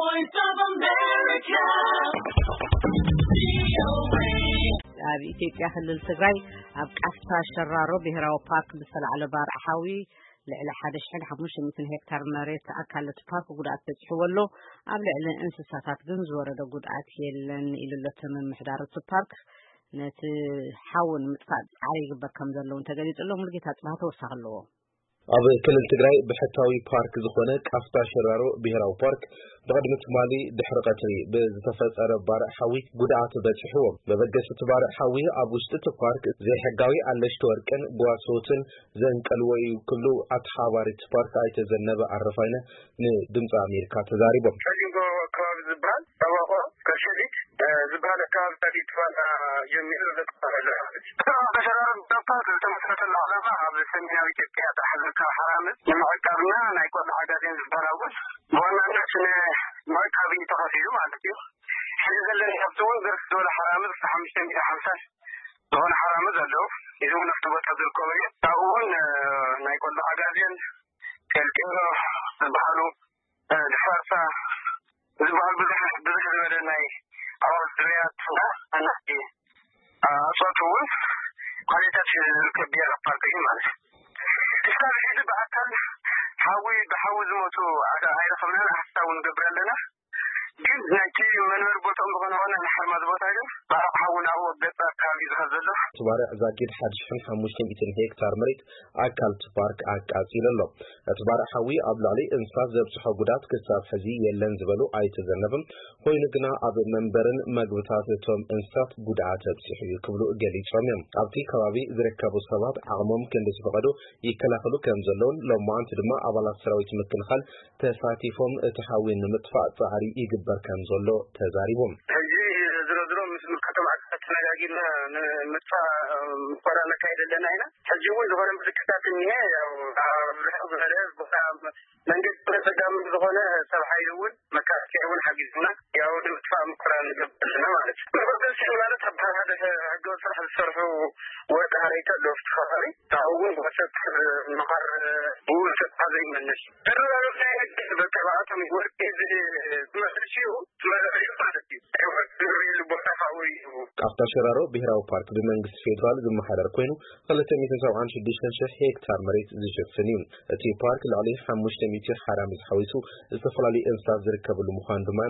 Voice of America. ኣብ ኢትዮጵያ ክልል ትግራይ ኣብ ቃፍታ ሸራሮ ብሔራዊ ፓርክ ብዝተላዕለ ባርዕ ሓዊ ልዕሊ ሓደ ሽሕን ሓሙሽተ ሚእትን ሄክታር መሬት ኣካል እቲ ፓርክ ጉድኣት በፂሕዎ ኣሎ። ኣብ ልዕሊ እንስሳታት ግን ዝወረደ ጉድኣት የለን ኢሉ ኣሎ እቲ ምምሕዳር እቲ ፓርክ። ነቲ ሓዊ ንምጥፋእ ፃዕሪ ይግበር ከም ዘሎ እውን ተገሊፁ ኣሎ። ሙሉጌታ ፅባህ ተወሳኺ ኣለዎ። ኣብ ክልል ትግራይ ብሕታዊ ፓርክ ዝኾነ ቃፍታ ሸራሮ ብሔራዊ ፓርክ ብቕድሚ ትማሊ ድሕሪ ቀትሪ ብዝተፈጠረ ባርዕ ሓዊ ጉድኣት በፂሕዎ። መበገሲ እቲ ባርዕ ሓዊ ኣብ ውሽጢ እቲ ፓርክ ዘይሕጋዊ ኣለሽቲ ወርቅን ጓሶትን ዘንቀልዎ እዩ ክብሉ ኣተሓባሪ እቲ ፓርክ ኣይተ ዘነበ ኣረፋይነ ንድምፂ ኣሜሪካ ተዛሪቦም። ሸሊንጎ ኣካባቢ ዝበሃል ጠበቆ ከሸሊት ዝበሃል ኣካባቢ ታዲት ባላ ጀሚሩ ዘተባለ ተሸራረብ ፓርክ ዝተመስረተሉ ዓላማ ኣብ ሰሜናዊ ኢትዮጵያ ዝሓዘካ ሓራምዝ ንምዕቃብና ናይ ቆልዓ ጋዜን ዝበሃል ኣጉል ብዋናነት ንምዕቃብ እዩ ተኸፊሉ ማለት እዩ። ሕዚ ዘለና ሃብቲ እውን ብርክ ዝበለ ሓራምዝ ክሳብ ሓሙሽተ ሚእቲ ሓምሳ ዝኾነ ሓራምዝ ኣለዉ። እዚ እውን ኣብቲ ቦታ ዝርከቡ እዩ። ካብኡ እውን ናይ ቆልዓ ጋዜን ቴልቴሎ ዝበሃሉ ድፋርሳ ዝበሃል ብዙሕ ብዙሕ ዝበለ ናይ ኣዋልድ ርያት ናይ ኣፅዋት እውን ኳሌታት ዝርከብ ብሄራዊ ፓርክ እዩ ማለት እዩ። ክሳብ ሕዚ ብኣካል ሓዊ ብሓዊ ዝሞቱ ኣይረኸብናን ኣሕሳ እውን ንገብር ኣለና። ግን ናይቲ መንበሪ ቦታኦም ዝኾነ ኾነ ንሓርማዝ ቦታ ግን ብሓዊ ናብኡ ገፃ ኣካባቢ ዝኸ ዘሎ። እቲ ባርዕ ዛጊድ ሓድሽን ሓሙሽተ ሚእትን ሄክታር መሬት ኣካል እቲ ፓርክ ኣቃፂሉ ኣሎ። እቲ ባርዕ ሓዊ ኣብ ልዕሊ እንስሳት ዘብፅሖ ጉዳት ክሳብ ሕዚ የለን ዝበሉ ኣይተ ዘነብም፣ ኮይኑ ግና ኣብ መንበርን መግብታት እቶም እንስሳት ጉድኣት ኣብፂሑ እዩ ክብሉ ገሊፆም እዮም። ኣብቲ ከባቢ ዝርከቡ ሰባት ዓቕሞም ክንዲ ዝፈቐዶ ይከላኸሉ ከም ዘለውን ሎማዓንቲ ድማ ኣባላት ሰራዊት ምክልኻል ተሳቲፎም እቲ ሓዊ ንምጥፋእ ፃዕሪ ይግበር ከም ዘሎ ተዛሪቦም። ሕዚ ዝሮ ዝሮ ምስ ምልከቶም ኣካላት ተነጋጊርና ንምጥፋእ ምኮራ ነካይድ ኣለና ኢና። ሕጂ እውን ዝኾነ ምልክታት እኒሀ ያው ኣብ ርሑቕ ዝበለ ቦታ መንገዲ ጸጋም ዝኾነ ሰብ ሓይሊ እውን መከላከያ እውን ሓጊዙና ያው ንምጥፋእ ምኮራ ንገብር ኣለና ማለት እዩ። መበገሲ ማለት ኣብ ሓደ ሕገ ስራሕ ዝሰርሑ ወርቂ ሃረይቲ ኣለዉ ኣብቲ ከባቢ። ካብኡ እውን ወሰድ መኻር ብኡ ዝተትሓዘ ይመልስ። ተረጋግኦ ናይ ሕጊ በቃ ብኣቶም ወርቂ ዝመልስ እዩ፣ ዝመልስ እዩ ማለት እዩ። ናይ ወርቂ ዝርእየሉ ቦታ ካብኡ እዩ። ቃፍታ ሸራሮ ብሔራዊ ፓርክ ብመንግስቲ ፌዴራል ዝመሓደር ኮይኑ ክልተ ሚእትን ሰብዓን ሽዱሽተን ሽሕ ሄክታር መሬት ዝሽፍን እዩ። እቲ ፓርክ ልዕሊ ሓሙሽተ ሚእቲ ሓራምዝ ሓዊሱ ዝተፈላለዩ እንስሳት ዝርከብሉ ምዃኑ ድማ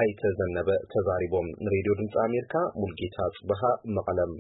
ኣይተ ዘነበ ተዛሪቦም። ንሬድዮ ድምፂ ኣሜሪካ ሙልጌታ ጽበሃ መቐለም።